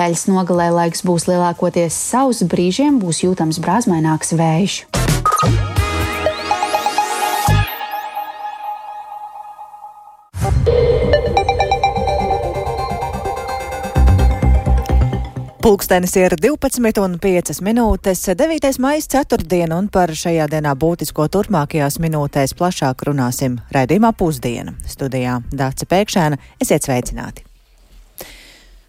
Nedēļas nogalē laiks būs lielākoties sauss, brīžiem būs jūtams brāzmaināks vējš. Pulkstenis ir 12:05. 9. maijs ceturtdiena, un par šajā dienā būtisko turpmākajās minūtēs plašāk runāsim raidījumā Pusdiena. Studijā Dāce Pēkšēna, esiet sveicināti!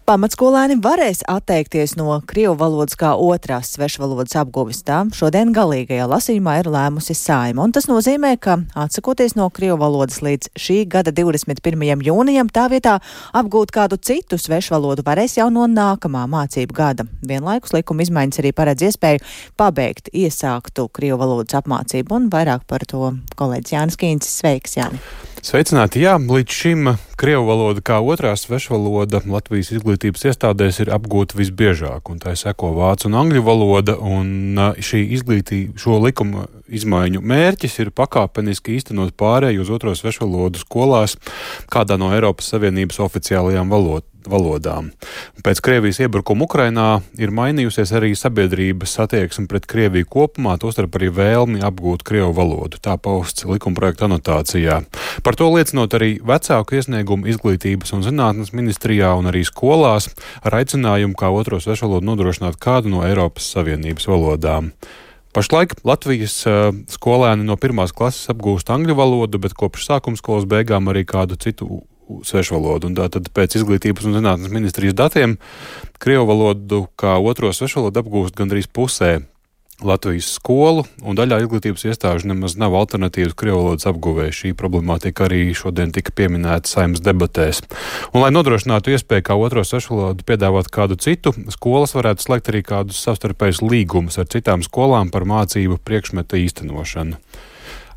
Pamatskolēni varēs atteikties no krievu valodas kā otrās svešvalodas apguves. Tā šodien galīgajā lasījumā ir lēmusi Saeima, un tas nozīmē, ka atsakoties no krievu valodas līdz šī gada 21. jūnijam, tā vietā apgūt kādu citu svešvalodu varēs jau no nākamā mācību gada. Vienlaikus likuma izmaiņas arī paredz iespēju pabeigt iesāktu krievu valodas apmācību, un vairāk par to kolēģis Jānis Kīncis. Sveiks, Jāni! Sveicināti! Jā, līdz šim krievu valoda kā otrā svešvaloda Latvijas izglītības iestādēs ir apgūta visbiežāk, un tā seko vācu un angļu valoda, un šo likuma izmaiņu mērķis ir pakāpeniski īstenot pārēju uz otro svešvalodu skolās kādā no Eiropas Savienības oficiālajām valodām. Pēc Krievijas iebrukuma Ukrainā ir mainījusies arī sabiedrības attieksme pret Krieviju kopumā, tostarp arī vēlmi apgūt krievu valodu. Tā pausts likumprojekta anotācijā. Par to liecinot arī vecāku iesniegumu Izglītības un zinātnes ministrijā un arī skolās ar aicinājumu kā otro svešvalodu nodrošināt kādu no Eiropas Savienības valodām. Pašlaik Latvijas skolēni no 1. klases apgūst angļu valodu, bet kopš sākumskolas beigām arī kādu citu svešvalodu. Un tātad pēc Izglītības un zinātnes ministrijas datiem krievu valodu kā otro svešvalodu apgūst gandrīz pusē Latvijas skolu, un daļā izglītības iestāžu nemaz nav alternatīvas krievu valodas apguvēja. Šī problemātika arī šodien tika pieminēta Saeimas debatēs. Un, lai nodrošinātu iespēju kā otro svešvalodu piedāvāt kādu citu, skolas varētu slēgt arī kādus savstarpējus līgumus ar citām skolām par mācību priekšmeta īstenošanu.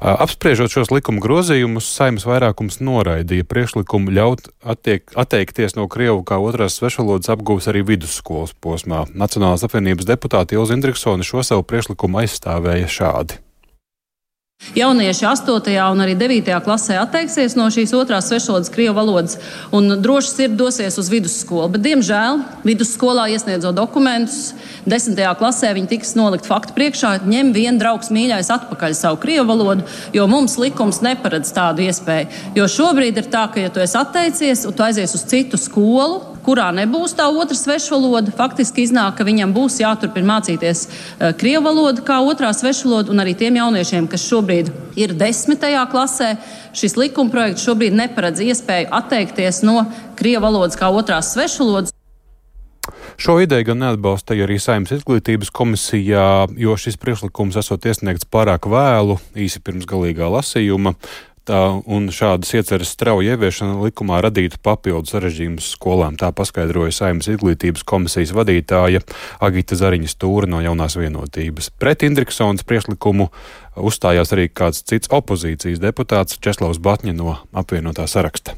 Apspriežot šos likuma grozījumus, Saeimas vairākums noraidīja priekšlikumu ļaut atteikties no krievu kā otrās svešvalodas apguves arī vidusskolas posmā. Nacionālās apvienības deputāte Ilze Indriksone šo savu priekšlikumu aizstāvēja šādi. Jaunieši 8. un arī 9. klasē atteiksies no šīs otrās svešvalodas krievu valodas un droši sirdi dosies uz vidusskolu. Bet, diemžēl, vidusskolā iesniedzot dokumentus, 10. klasē viņi tiks nolikt faktu priekšā, ņem vien draugs mīļais atpakaļ savu krievu valodu, jo mums likums neparedz tādu iespēju. Jo šobrīd ir tā, ka, ja tu esi atteicies un tu aizies uz citu skolu, kurā nebūs tā otra svešvaloda, faktiski iznāk, ka viņam būs jāturpina mācīties krievu valodu kā otrā svešvaloda, un arī tiem jauniešiem, kas šobrīd ir 10. klasē, šis likumprojekts šobrīd neparedz iespēju atteikties no krievu valodas kā otrās svešvalodas. Šo ideju gan neatbalstīja arī Saeimas izglītības komisijā, jo šis priekšlikums esot iesniegts pārāk vēlu, īsi pirms galīgā lasījuma. Un šādas ieceres strauja ieviešana likumā radītu papildus sarežģījumus skolām. Tā paskaidroja Saeimas izglītības komisijas vadītāja Agita Zariņa Stūra no Jaunās vienotības. Pret Indriksones priekšlikumu uzstājās arī kāds cits opozīcijas deputāts Česlavs Batņa no apvienotā saraksta.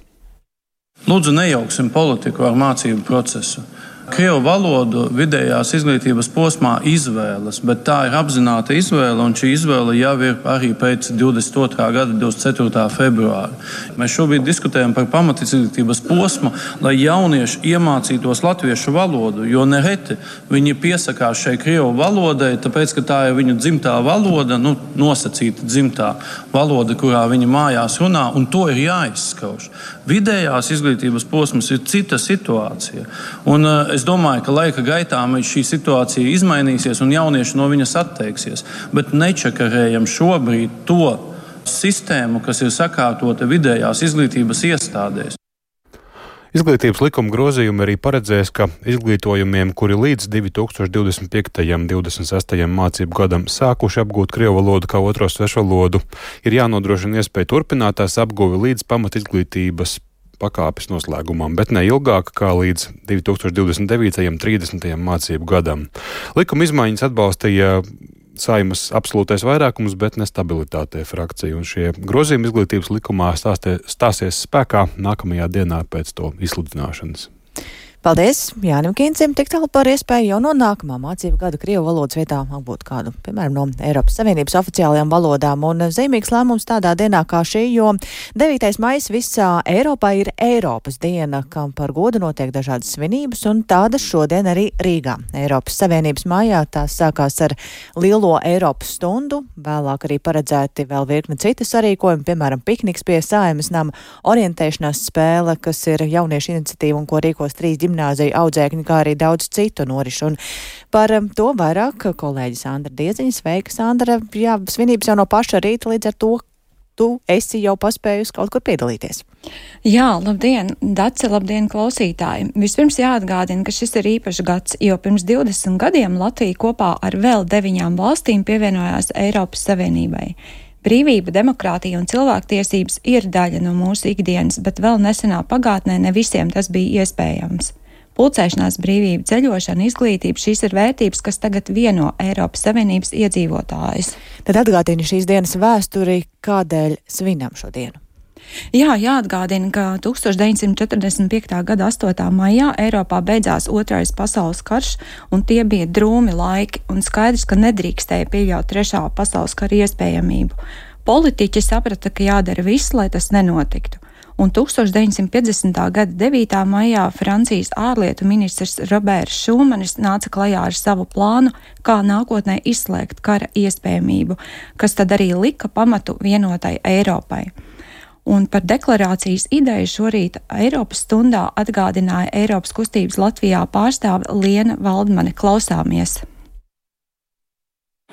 Lūdzu, nejauksim politiku ar mācību procesu. Krievu valodu vidējās izglītības posmā izvēles, bet tā ir apzināta izvēle, un šī izvēle jau ir arī pēc 22. gada 24. februāra. Mēs šobrīd diskutējam par pamatizglītības posmu, lai jaunieši iemācītos latviešu valodu, jo nereti viņi piesakās šai krievu valodai, tāpēc, ka tā ir viņu dzimtā valoda, nosacīta dzimtā valoda, kurā viņi mājās runā, un to ir jāizskauž. Vidējās izglītības posms ir cita situācija, un es domāju, ka laika gaitā šī situācija izmainīsies un jaunieši no viņas atteiksies. Bet nečakarējam šobrīd to sistēmu, kas ir sakārtota vidējās izglītības iestādēs. Izglītības likuma grozījumi arī paredzēs, ka izglītojumiem, kuri līdz 2025. 26. mācību gadam sākuši apgūt krievu valodu kā otro svešvalodu, ir jānodrošina iespēja turpināt tās apguvi līdz pamatizglītības pakāpes noslēgumam, bet ne ilgāk kā līdz 2029. 30. mācību gadam. Likuma izmaiņas atbalstīja Saeimas absolūtais vairākums, bet nestabilitātē frakcija, un šie grozījumi izglītības likumā stāsies spēkā nākamajā dienā pēc to izsludināšanas. Paldies Jānim Kīncim, tik tālu par iespēju jau no nākamā mācību gada krievu valodas vietā apgūt kādu, piemēram, no Eiropas Savienības oficiālajām valodām. Un zīmīgs lēmums tādā dienā kā šī, jo 9. maijs visā Eiropā ir Eiropas diena, kam par godu notiek dažādas svinības, un tādas šodien arī Rīgā. Eiropas Savienības mājā tās sākās ar lielo Eiropas stundu, vēlāk arī paredzēti vēl virkni citu sarīkojumi, piemēram, pikniks pie Saeimas nama, orientēšanās spēle, kas ir jauniešu iniciatīva un ko rīkos 3 gimnāziju audzēkņi, kā arī daudz citu norišu. Un par to vairāk kolēģi Sandra Dieziņa. Sveika, Sandra. Jā, svinības jau no paša rīta, līdz ar to tu esi jau paspējusi kaut kur piedalīties. Jā, labdien, Dace, labdien, klausītāji. Vispirms jāatgādina, ka šis ir īpašs gads, jo pirms 20 gadiem Latvija kopā ar vēl 9 valstīm pievienojās Eiropas Savienībai. Brīvība, demokrātija un cilvēktiesības ir daļa no mūsu ikdienas, bet vēl nesenā pagātnē ne visiem tas bija iespējams. Pulcēšanās brīvība, ceļošana, izglītība, šīs ir vērtības, kas tagad vieno Eiropas Savienības iedzīvotājus. Tad atgādini šīs dienas vēsturi, kādēļ svinam šo dienu. Jā, jāatgādina, ka 1945. gada 8. maijā Eiropā beidzās Otrais pasaules karš, un tie bija drūmi laiki, un skaidrs, ka nedrīkstēja pieļaut 3. pasaules kara iespējamību. Politiķi saprata, ka jādara viss, lai tas nenotiktu. Un 1950. gada 9. maijā Francijas ārlietu ministrs Roberts Šumanis nāca klajā ar savu plānu, kā nākotnē izslēgt kara iespējamību, kas tad arī lika pamatu vienotai Eiropai. Un par deklarācijas ideju šorīt Eiropas stundā atgādināja Eiropas kustības Latvijā pārstāve Liena Valdmane. Klausāmies!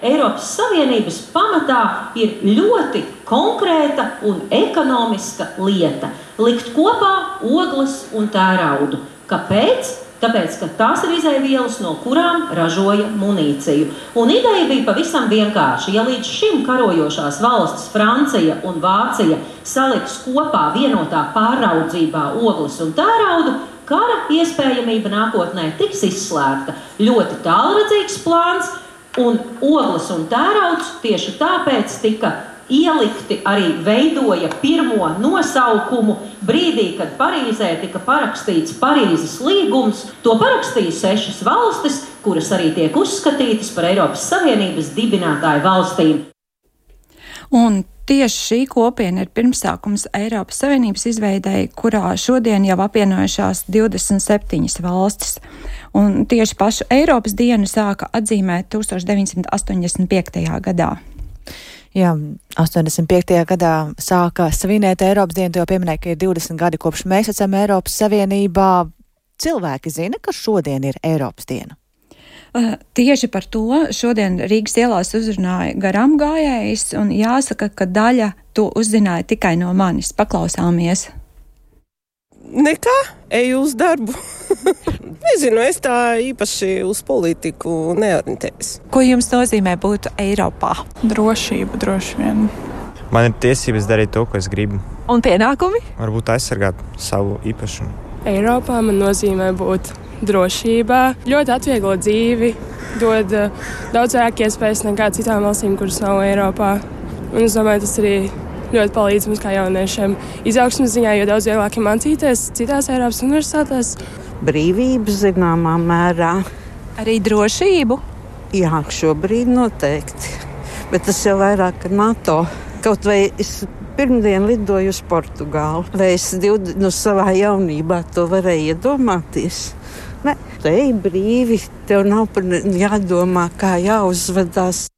Eiropas Savienības pamatā ir ļoti konkrēta un ekonomiska lieta – likt kopā ogles un tēraudu. Kāpēc? Tāpēc, ka tās ir izēvielas, no kurām ražoja munīciju. Un ideja bija pavisam vienkārši. Ja līdz šim karojošās valstis Francija un Vācija saliks kopā vienotā pāraudzībā ogles un tēraudu, kara iespējamība nākotnē tiks izslēgta. Ļoti tālredzīgs plāns, un ogles un tērauds tieši tāpēc tika ielikti, arī veidoja pirmo nosaukumu brīdī, kad Parīzē tika parakstīts Parīzes līgums. To parakstīja 6 valstis, kuras arī tiek uzskatītas par Eiropas Savienības dibinātāju valstīm. Un tieši šī kopiena ir pirmsākums Eiropas Savienības izveidei, kurā šodien jau apvienojušās 27 valstis. Un tieši pašu Eiropas dienu sāka atzīmēt 1985. gadā. Jā, 85. gadā sāka svinēt Eiropas dienu, jo pieminēja, ka ir 20 gadi kopš mēs esam Eiropas Savienībā. Cilvēki zina, ka šodien ir Eiropas diena. Tieši par to šodien Rīgas ielās uzrunāja garām gājējs, un jāsaka, ka daļa to uzzināja tikai no manis. Paklausāmies. Nekā, eju uz darbu. Nezinu, es tā īpaši uz politiku neorientējos. Ko jums nozīmē būt Eiropā? Drošība, droši vien. Man ir tiesības darīt to, ko es gribu. Un pienākumi? Varbūt aizsargāt savu īpašumu. Eiropā man nozīmē būt drošībā, ļoti atvieglo dzīvi, dod daudz vairāk iespējas nekā citām valstīm, kuras nav Eiropā. Un es domāju, tas arī ļoti palīdz mums kā jauniešiem izaugsmes ziņā, jo daudz vieglāk ir mācīties citās Eiropas universitātēs. Brīvību zināmā mērā. Arī drošību? Jā, šobrīd noteikti. Bet tas jau vairāk ar NATO. Kaut vai es pirmdien lidoju uz Portugālu. Vai es savā jaunībā to varēju iedomāties? Ne, te ej brīvi, tev nav jādomā, kā jāuzvedās.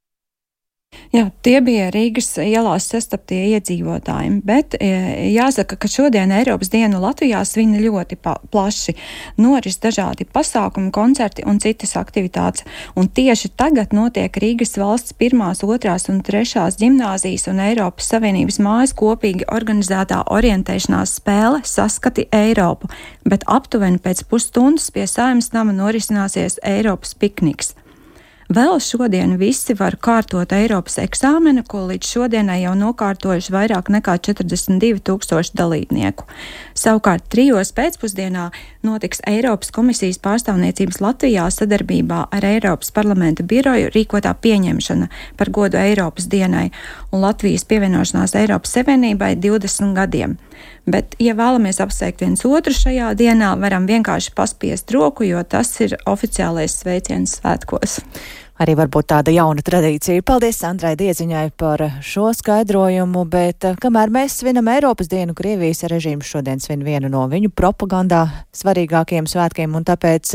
Jā, tie bija Rīgas ielās sastaptie iedzīvotāji, bet jāsaka, ka šodien Eiropas dienu Latvijā svin ļoti plaši. Noris dažādi pasākumi, koncerti un citas aktivitātes. Un tieši tagad notiek Rīgas valsts 1., 2. un 3. gimnāzijas un Eiropas Savienības mājas kopīgi organizētā orientēšanās spēle Saskati Eiropu, bet aptuveni pēc pusstundas pie Saeimas nama norisināsies Eiropas pikniks. Vēl šodien visi var kārtot Eiropas eksāmenu, ko līdz šodienai jau nokārtojuši vairāk nekā 42,000 dalībnieku. Savukārt 3. pēcpusdienā notiks Eiropas komisijas pārstāvniecības Latvijā sadarbībā ar Eiropas parlamenta biroju rīkotā pieņemšana par godu Eiropas dienai. un Latvijas pievienošanās Eiropas Savienībai 20 gadiem. Bet, ja vēlamies apsveikt viens otru šajā dienā, varam vienkārši paspiest roku, jo tas ir oficiālais sveiciens svētkos. Arī varbūt tāda jauna tradīcija. Paldies Sandrai Dieziņai par šo skaidrojumu, bet kamēr mēs svinam Eiropas dienu, Krievijas režīms šodien svin vienu no viņu propagandā svarīgākiem svētkiem, un tāpēc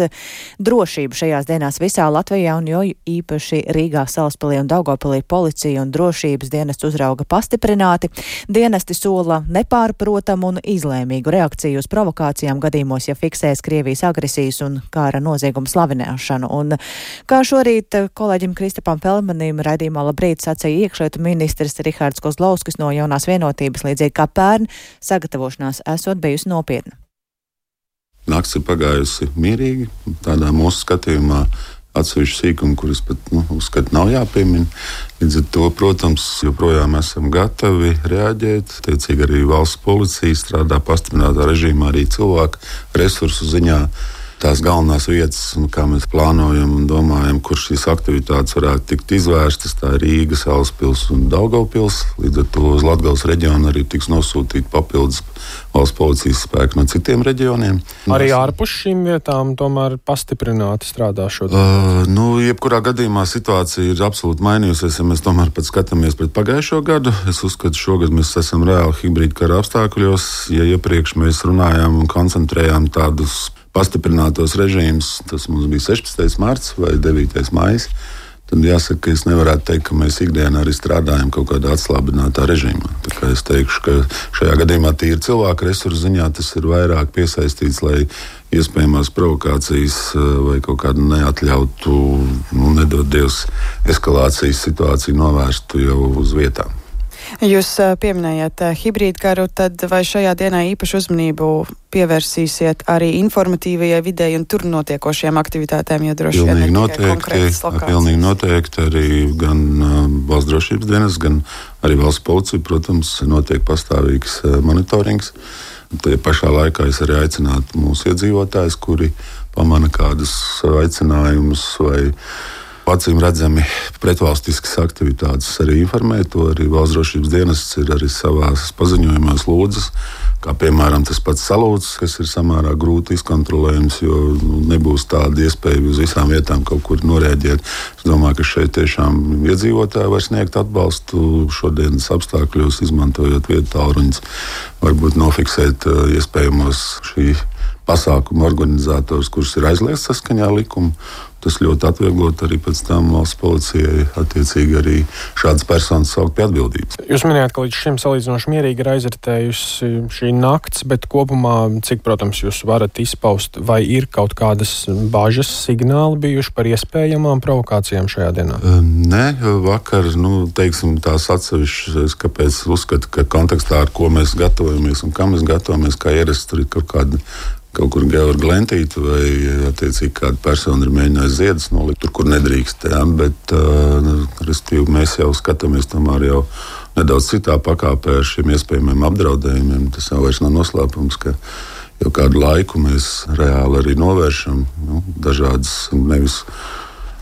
drošību šajās dienās visā Latvijā un jo īpaši Rīgā, Salaspilī un Daugavpilī policija un drošības dienestu uzrauga pastiprināti. Dienesti sola nepārprotamu un izlēmīgu reakciju uz provokācijām gadījumos, ja fiksēs Krievijas agresijas un kara noziegumu slavināšanu. Un kā šorīt kolēģim Kristapam Feldmanim raidījumā Labrīt sacīja iekšlietu ministrs Rihards Kozlovskis no Jaunās vienotības, līdzīgi kā pērn, sagatavošanās esot bijusi nopietna. Nakts ir pagājusi mierīgi, tādā mūsu skatījumā atsevišķi sīkumi, kurus pat uzskatu nav jāpiemina. Līdz ar to, protams, joprojām esam gatavi reaģēt. Tiecīgi arī valsts policija strādā pastiprinātā režīmā, arī cilvēku resursu ziņā. Tās galvenās vietas, un kā mēs plānojam un domājam, kur šīs aktivitātes varētu tikt izvērstas, tā ir Rīga, Salaspils un Daugavpils. Līdz ar to uz Latgales reģionu arī tiks nosūtīti papildus valsts policijas spēki no citiem reģioniem. Arī ārpus šīm vietām tomēr pastiprināti strādā šodien? Jebkurā gadījumā situācija ir absolūti mainījusies, ja mēs tomēr pat skatāmies pret pagājušo gadu. Es uzskatu, šogad mēs esam reāli hibrīda kara apstākļos. Ja iepriekš mēs runājām un koncentrējām tādus pastiprinātos režīmus, tas mums bija 16. marts vai 9. maijs, tad jāsaka, ka es nevarētu teikt, ka mēs ikdienā arī strādājam kaut kādā atslābinātā režīmā. Tā kā es teikšu, ka šajā gadījumā tīri cilvēku resursu ziņā tas ir vairāk piesaistīts, lai iespējamās provokācijas vai kaut kādu neatļautu, nedod Dievs, eskalācijas situāciju novērstu jau uz vietām. Jūs pieminējāt hibrīdu karu, tad vai šajā dienā īpašu uzmanību pievērsīsiet arī informatīvajai videi un tur notiekošajām aktivitātēm, jo droši vien ne tikai konkrētas lokācijas? Pilnīgi noteikti arī gan valsts drošības dienas, gan arī valsts policija, protams, notiek pastāvīgs monitorings. Tajā pašā laikā es arī aicinātu mūsu iedzīvotājus, kuri pamana kādus aicinājumus vai acīm redzami pretvalstiskas aktivitātes arī informē. To arī valsts drošības dienests ir arī savās paziņojumos lūdzas, kā piemēram tas pats salūts, kas ir samērā grūti izkontrolējams, jo nebūs tāda iespēja uz visām vietām kaut kur noreaģēt. Es domāju, ka šeit tiešām iedzīvotāji var sniegt atbalstu šodienas apstākļos, izmantojot vietu tālruņus, varbūt nofiksēt iespējamos šī pasākumu organizatorus, kurus ir aizliegts saskaņā ar likumu. Tas ļoti atvieglot arī pēc tam valsts policijai attiecīgi arī šādas personas saukt pie atbildības. Jūs minējāt, ka līdz šim salīdzinoši mierīgi ir aizritējusi šī nakts, bet kopumā, cik, protams, jūs varat izpaust, vai ir kaut kādas bāžas signāli bijuši par iespējamām provokācijām šajā dienā? Nē, vakar, teiksim, tās atsevišķas, kāpēc uzskatu, ka kontekstā, ar ko mēs gatavojamies un kā mēs gatavojamies, kā ierasts, tur ir kaut kur Georga Lentīta vai attiecīgi kāda persona ir mēģinājusi ziedus nolikt tur, kur nedrīkst. Bet mēs jau skatāmies tomēr jau nedaudz citā pakāpē ar šiem iespējamiem apdraudējumiem. Tas jau vairs nav noslēpums, ka jau kādu laiku mēs reāli arī novēršam dažādas nevis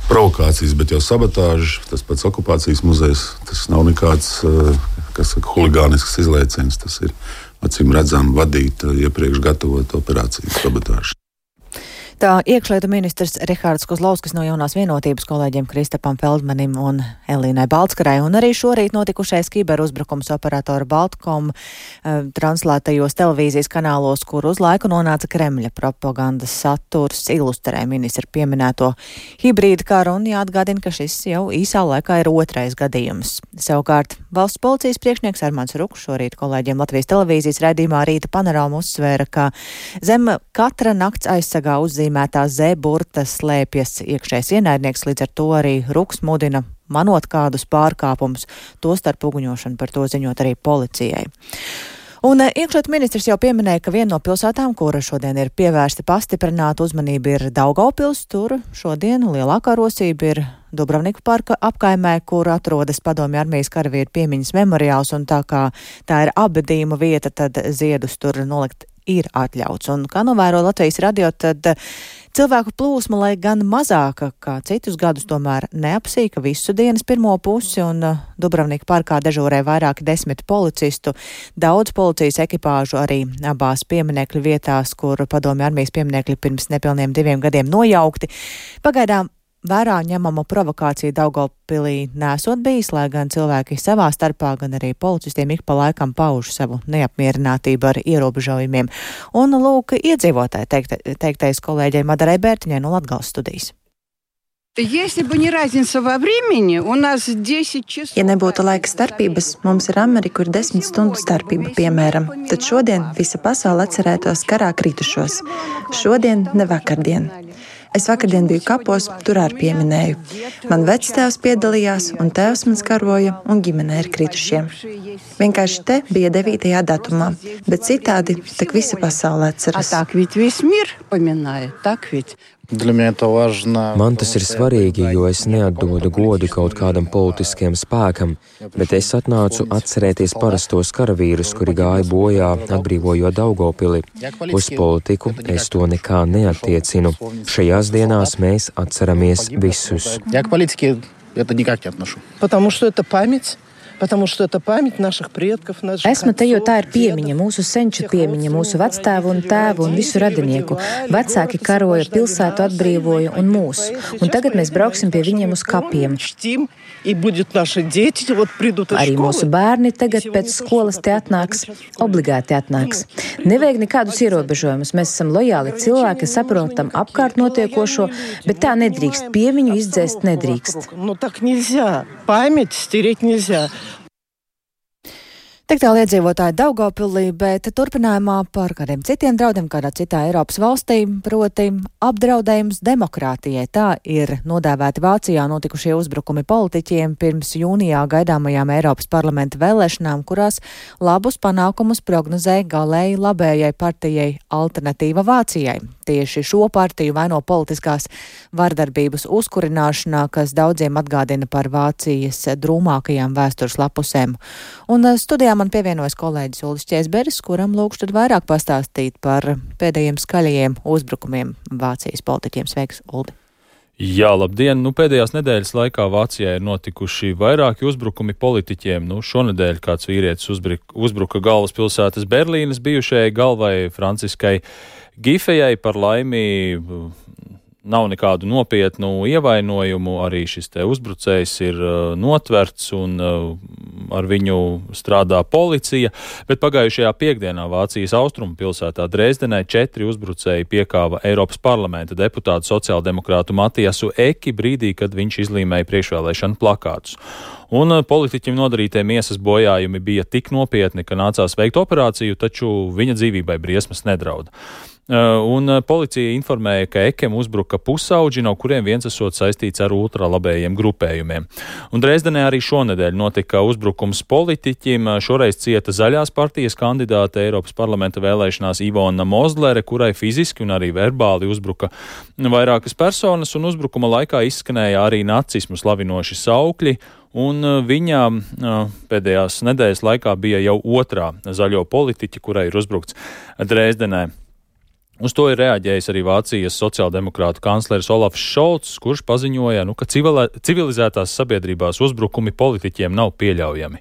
provokācijas, bet jau sabotāžu. Tas pats okupācijas muzejs, tas nav nekāds, huligānisks izlaiciens. Tas ir acīm redzam vadīt iepriekš gatavot operāciju sabotāžu. Tā iekšlietu ministrs Rihards Kozlovskis no Jaunās vienotības kolēģiem Kristapam Feldmanim un Elīnai Baltskarai, un arī šorīt notikušais kiberuzbrukums operatora Baltkom translētajos televīzijas kanālos, kur uz laiku nonāca Kremļa propagandas saturs, ilustrē ministra pieminēto hibrīdu karu, un jāatgādina, ka šis jau īsā laikā ir otrais gadījums. Savukārt valsts policijas priekšnieks Armands Ruks šorīt kolēģiem Latvijas televīzijas raidījumā Rīta panorāma uzsvēra, ka zem katra nakts aizsargā uzzīmētā Z-burta slēpjas iekšējais ienaidnieks, līdz ar to arī Ruks mudina manot kādus pārkāpumus, tostarp uguņošanu, par to ziņot arī policijai. Un iekšlietu ministrs jau pieminēja, ka viena no pilsētām, kura šodien ir pievērsta pastiprināta uzmanība, ir Daugavpils. Tur šodien lielākā rosība ir Dubravniku parka apkaimē, kur atrodas Padomju armijas karavīru piemiņas memoriāls, un tā kā tā ir apbedījuma vieta, tad ziedus tur nolikt ir atļauts. Un kā novēro Latvijas radio, tad Cilvēku plūsma, lai gan mazāka kā citus gadus, tomēr neapsīka visu dienas pirmo pusi, un Dubravnika parkā dežūrē vairāki 10 policistu, daudz policijas ekipāžu arī abās pieminekļu vietās, kur Padomju armijas pieminekļi pirms nepilniem 2 gadiem nojaukti. Pagaidām vērā ņemama provokācija Daugavpilī nesot bijis, lai gan cilvēki savā starpā, gan arī policistiem ik pa laikam pauž savu neapmierinātību ar ierobežojumiem. Un lūk, iedzīvotāji teiktais kolēģei Madarai Bērtiņai no Latgales studijas. Ja nebūtu laika starpības, mums ar Ameriku ir 10 stundu starpība, piemēram, tad šodien visa pasaule atcerētos karā kritušos. Šodien, ne vakardien. Es vakardien biju kapos, tur arī pieminēju. Man vectēvs piedalījās, un tēvs mans karoja, un ģimene ir kritušiem. Vienkārši te bija 9. datumā, bet citādi tak visa pasaule atceras. Man tas ir svarīgi, jo es neatdodu godu kaut kādam politiskiem spēkam, bet es atnācu atcerēties parastos karavīrus, kuri gāja bojā, atbrīvojot Daugavpili. Uz politiku es to nekā neattiecinu. Šajās dienās mēs atceramies visus. Esmu te, jo tā ir piemiņa, mūsu senču piemiņa, mūsu vectēvu un tēvu un visu radinieku. Vecāki karoja, pilsētu atbrīvoja un mūs. Un tagad mēs brauksim pie viņiem uz kapiem. Arī mūsu bērni tagad pēc skolas te atnāks, obligāti atnāks. Nevajag nekādus ierobežojumus. Mēs esam lojāli cilvēki, saprotam apkārt notiekošo, bet tā nedrīkst. Piemiņu izdzēst nedrīkst. Tik tālu iedzīvotāji Daugavpilī, bet turpinājumā par kādiem citiem draudiem kādā citā Eiropas valstī, proti apdraudējums demokrātijai. Tā ir nodēvēti Vācijā notikušie uzbrukumi politiķiem pirms jūnijā gaidāmajām Eiropas parlamenta vēlēšanām, kurās labus panākumus prognozēja galēji labējai partijai Alternatīva Vācijai. Tieši šo partiju vaino politiskās vardarbības uzkurināšanā, kas daudziem atgādina par Vācijas drūmākajām vēstures lapusēm. Un studijā man pievienojas kolēģis Uldis Ķēzberis, kuram lūkšu tad vairāk pastāstīt par pēdējiem skaļajiem uzbrukumiem Vācijas politiķiem. Sveiks, Uldi! Jā, labdien! Pēdējās nedēļas laikā Vācijā ir notikuši vairāki uzbrukumi politiķiem. Šonedēļ kāds vīrietis uzbruka galvaspilsētas Berlīnes bijušajai galvai Franciskai Gifejai. Par laimi nav nekādu nopietnu ievainojumu, arī šis te uzbrucējs ir notverts un ar viņu strādā policija, bet pagājušajā piekdienā Vācijas austrumu pilsētā Dresdenē 4 uzbrucēji piekāva Eiropas parlamenta deputātu sociāldemokrātu Matiasu Eki brīdī, kad viņš izlīmēja priekšvēlēšanu plakātus. Un politiķim nodarītie miesas bojājumi bija tik nopietni, ka nācās veikt operāciju, taču viņa dzīvībai briesmas nedrauda. Un policija informēja, ka Ekem uzbruka pusauģi, no kuriem viens esot saistīts ar ultralabējiem grupējumiem. Un Dresdenē arī šonedēļ notika uzbrukums politiķim. Šoreiz cieta Zaļās partijas kandidāte Eiropas parlamenta vēlēšanās Ivona Mozlere, kurai fiziski un arī verbāli uzbruka vairākas personas, un uzbrukuma laikā izskanēja arī nacismu slavinoši saukļi. Un viņa pēdējās nedēļas laikā bija jau otrā zaļo politiķa, kurai ir uzbrukts Dresdenē. Uz to ir reaģējis arī Vācijas sociāldemokrātu kancleris Olafs Šolts, kurš paziņoja, ka civilizētās sabiedrībās uzbrukumi politiķiem nav pieļaujami.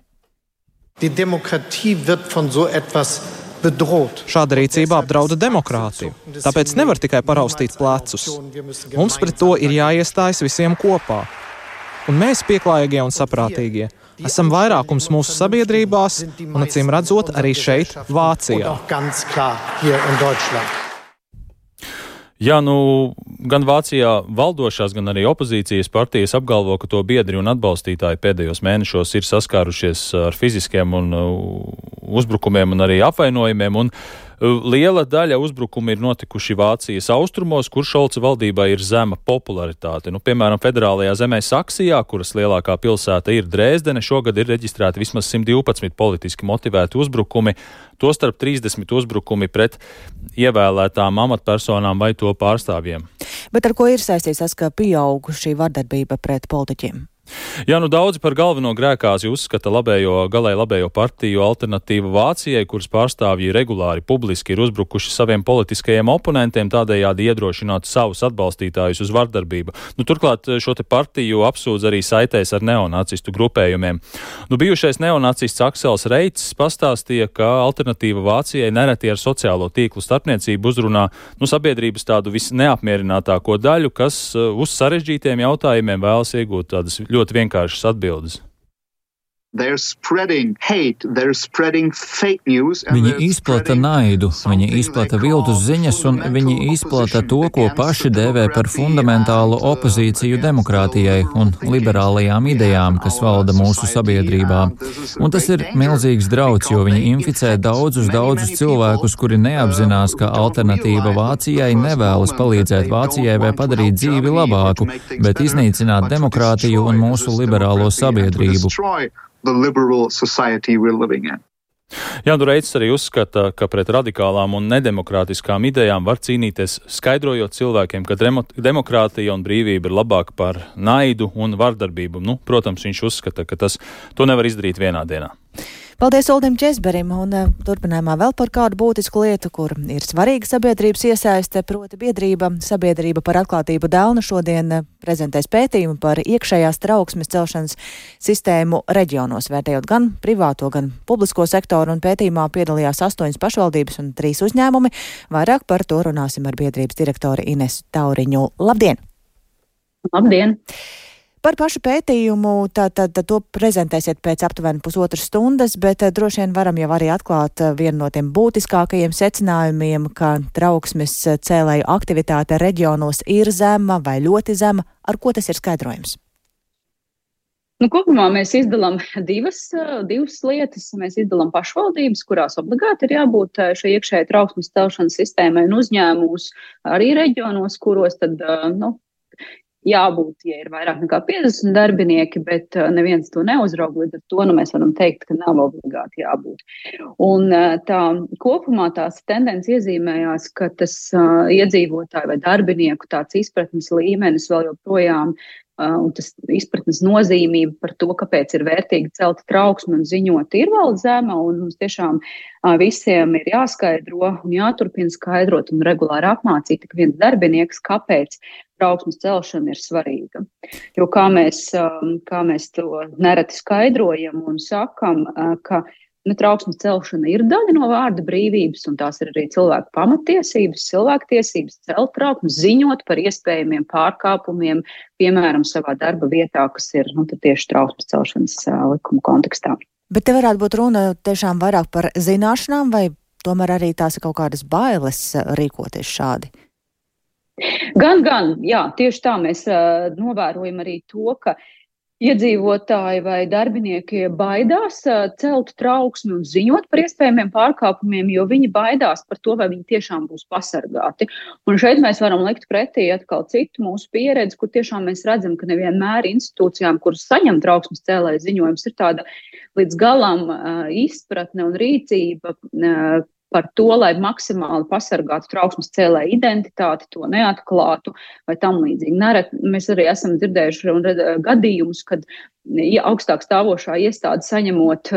Šāda rīcība apdrauda demokrātiju, tāpēc nevar tikai paraustīt plecus. Mums pret to ir jāiestājas visiem kopā. Un mēs, pieklājīgie un saprātīgie, esam vairākums mūsu sabiedrībās un, acīm redzot, arī šeit, Vācijā. Jā, gan Vācijā valdošās, gan arī opozīcijas partijas apgalvo, ka to biedri un atbalstītāji pēdējos mēnešos ir saskārušies ar fiziskiem un uzbrukumiem un arī apvainojumiem, un liela daļa uzbrukumu ir notikuši Vācijas austrumos, kur Šolca valdībā ir zema popularitāte. Piemēram, federālajā zemē Saksijā, kuras lielākā pilsēta ir Dresdene, šogad ir reģistrēti vismaz 112 politiski motivēti uzbrukumi, tostarp 30 uzbrukumi pret ievēlētām amatpersonām vai to pārstāvjiem. Bet ar ko ir saistīts tas, ka pieaug šī vardarbība pret politiķiem? Jā, daudzi par galveno grēkāzi uzskata galēji labējo partiju Alternatīva Vācijai, kuras pārstāvji regulāri publiski ir uzbrukuši saviem politiskajiem oponentiem, tādējādi iedrošināt savus atbalstītājus uz vardarbību. Turklāt šo te partiju apsūdz arī saitēs ar neonacistu grupējumiem. Bijušais neonacists Aksels Reits pastāstīja, ka Alternatīva Vācijai nereti ar sociālo tīklu starpniecību uzrunā sabiedrības tādu visneapmierinātāko daļu, kas uz sarežģītiem jautājumiem vēlas iegūt tādas ļoti vienkāršas atbildes. Viņi izplata naidu, viņi izplata viltus ziņas un viņi izplata to, ko paši dēvē par fundamentālu opozīciju demokrātijai un liberālajām idejām, kas valda mūsu sabiedrībā. Un tas ir milzīgs drauds, jo viņi inficē daudzus cilvēkus, kuri neapzinās, ka Alternatīva Vācijai nevēlas palīdzēt Vācijai vai padarīt dzīvi labāku, bet iznīcināt demokrātiju un mūsu liberālo sabiedrību. Jā, Reits arī uzskata, ka pret radikālām un nedemokrātiskām idejām var cīnīties, skaidrojot cilvēkiem, ka demokrātija un brīvība ir labāka par naidu un vardarbību. Protams, viņš uzskata, ka to nevar izdarīt vienā dienā. Paldies Uldim Česberim, un turpinājumā vēl par kādu būtisku lietu, kur ir svarīga sabiedrības iesaiste, proti Sabiedrība par atklātību Delnu šodien prezentēs pētījumu par iekšējās trauksmes celšanas sistēmu reģionos, vērtējot gan privāto, gan publisko sektoru, un pētījumā piedalījās 8 pašvaldības un 3 uzņēmumi. Vairāk par to runāsim ar biedrības direktori Inesu Tauriņu. Labdien! Labdien! Par pašu pētījumu tad to prezentēsiet pēc aptuveni pusotras stundas, bet droši vien varam jau arī atklāt vienu no tiem būtiskākajiem secinājumiem, ka trauksmes cēlēju aktivitāte reģionos ir zema vai ļoti zema. Ar ko tas ir skaidrojums? Kopumā mēs izdalām divas lietas. Mēs izdalām pašvaldības, kurās obligāti ir jābūt šai iekšējai trauksmes celšanas sistēmai, un uzņēmumus arī reģionos, kuros tad, jābūt, ja ir vairāk nekā 50 darbinieki, bet neviens to neuzraug, līdz ar to mēs varam teikt, ka nav obligāti jābūt. Un kopumā tās tendences iezīmējās, ka tas iedzīvotāju vai darbinieku tāds izpratnes līmenis vēl joprojām un tas izpratnes nozīmība par to, kāpēc ir vērtīgi celt trauksmi un ziņot, ir vēl zema, un mums tiešām visiem ir jāskaidro un jāturpina skaidrot un regulāri apmācīt tik viens darbinieks, kāpēc trauksmes celšana ir svarīga. Jo kā mēs to nereti skaidrojam un sakam, ka trauksmes celšana ir daļa no vārda brīvības, un tās ir arī cilvēku pamatiesības, cilvēktiesības celt trauksmi, ziņot par iespējamiem pārkāpumiem, piemēram, savā darba vietā, kas ir tieši trauksmes celšanas likuma kontekstā. Bet te varētu būt runa tiešām vairāk par zināšanām, vai tomēr arī tās ir kaut kādas bailes rīkoties šādi? Gan, jā, tieši tā mēs novērojam arī to, ka iedzīvotāji vai darbinieki baidās celt trauksmi un ziņot par iespējamiem pārkāpumiem, jo viņi baidās par to, vai viņi tiešām būs pasargāti. Un šeit mēs varam likt pretī atkal citu mūsu pieredzi, kur tiešām mēs redzam, ka nevienmēr institūcijām, kuras saņem trauksmes cēlēju ziņojums, ir tāda līdz galam izpratne un rīcība par to, lai maksimāli pasargātu trauksmes cēlēju identitāti, to neatklātu vai tam līdzīgi. Mēs arī esam dzirdējuši gadījumus, kad augstāk stāvošā iestāde saņemot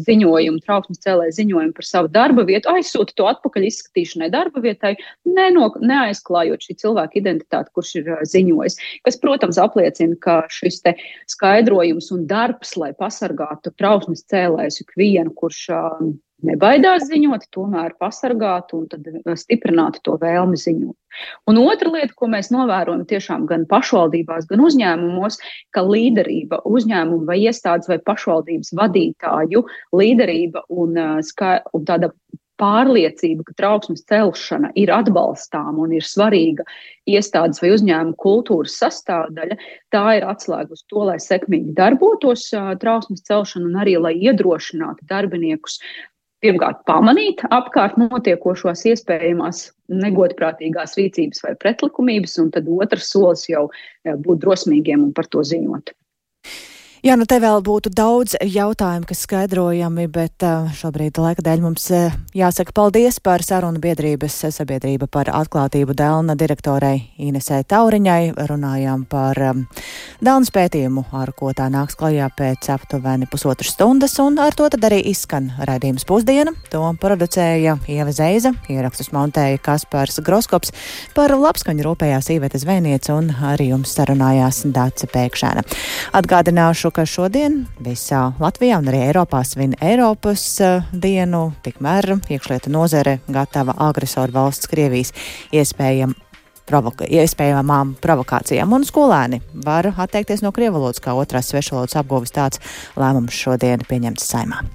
ziņojumu, trauksmes cēlēju ziņojumu par savu darba vietu, aizsūta to atpakaļ izskatīšanai darba vietai, neaizklājot šī cilvēka identitāti, kurš ir ziņojis. Kas, protams, apliecina, ka šis te skaidrojums un darbs, lai pasargātu trauksmes cēlējus ikvienu, kurš nebaidās ziņot, tomēr pasargāt un tad stiprināt to vēlmi ziņot. Un otra lieta, ko mēs novērojam tiešām gan pašvaldībās, gan uzņēmumos, ka līderība uzņēmumu vai iestādes vai pašvaldības vadītāju līderība un tāda pārliecība, ka trauksmes celšana ir atbalstāma un ir svarīga iestādes vai uzņēmuma kultūras sastāvdaļa, tā ir atslēga uz to, lai sekmīgi darbotos trauksmes celšana un arī, lai iedrošinātu darbiniekus pirmkārt pamanīt apkārt notiekošos iespējamās negodprātīgās rīcības vai pretlikumības, un tad otrs solis jau būt drosmīgiem un par to ziņot. Jā, nu te vēl būtu daudz jautājumu, kas skaidrojami, bet šobrīd laika dēļ mums jāsaka paldies par sarunu biedrības sabiedrība par atklātību Delna direktorei Inesei Tauriņai. Runājām par Delnas pētījumu, ar ko tā nāks klajā pēc aptuveni pusotras stundas, un ar to tad arī izskan raidījums Pusdiena. To producēja Ieva Zeiza, ierakstus montēja Kaspars Groskops, par labskaņu rūpējās Iveta Zvejniece un arī jums sarunājās Dace Pēkšēna. Atgādināšu, ka šodien visā Latvijā un arī Eiropā svin Eiropas dienu, tikmēr iekšlietu nozare gatava agresoru valsts Krievijas iespējamām provokācijām, un skolēni var atteikties no krievu valodas kā otrās svešvalodas apguves. Tāds lēmums šodien pieņemts Saeimā.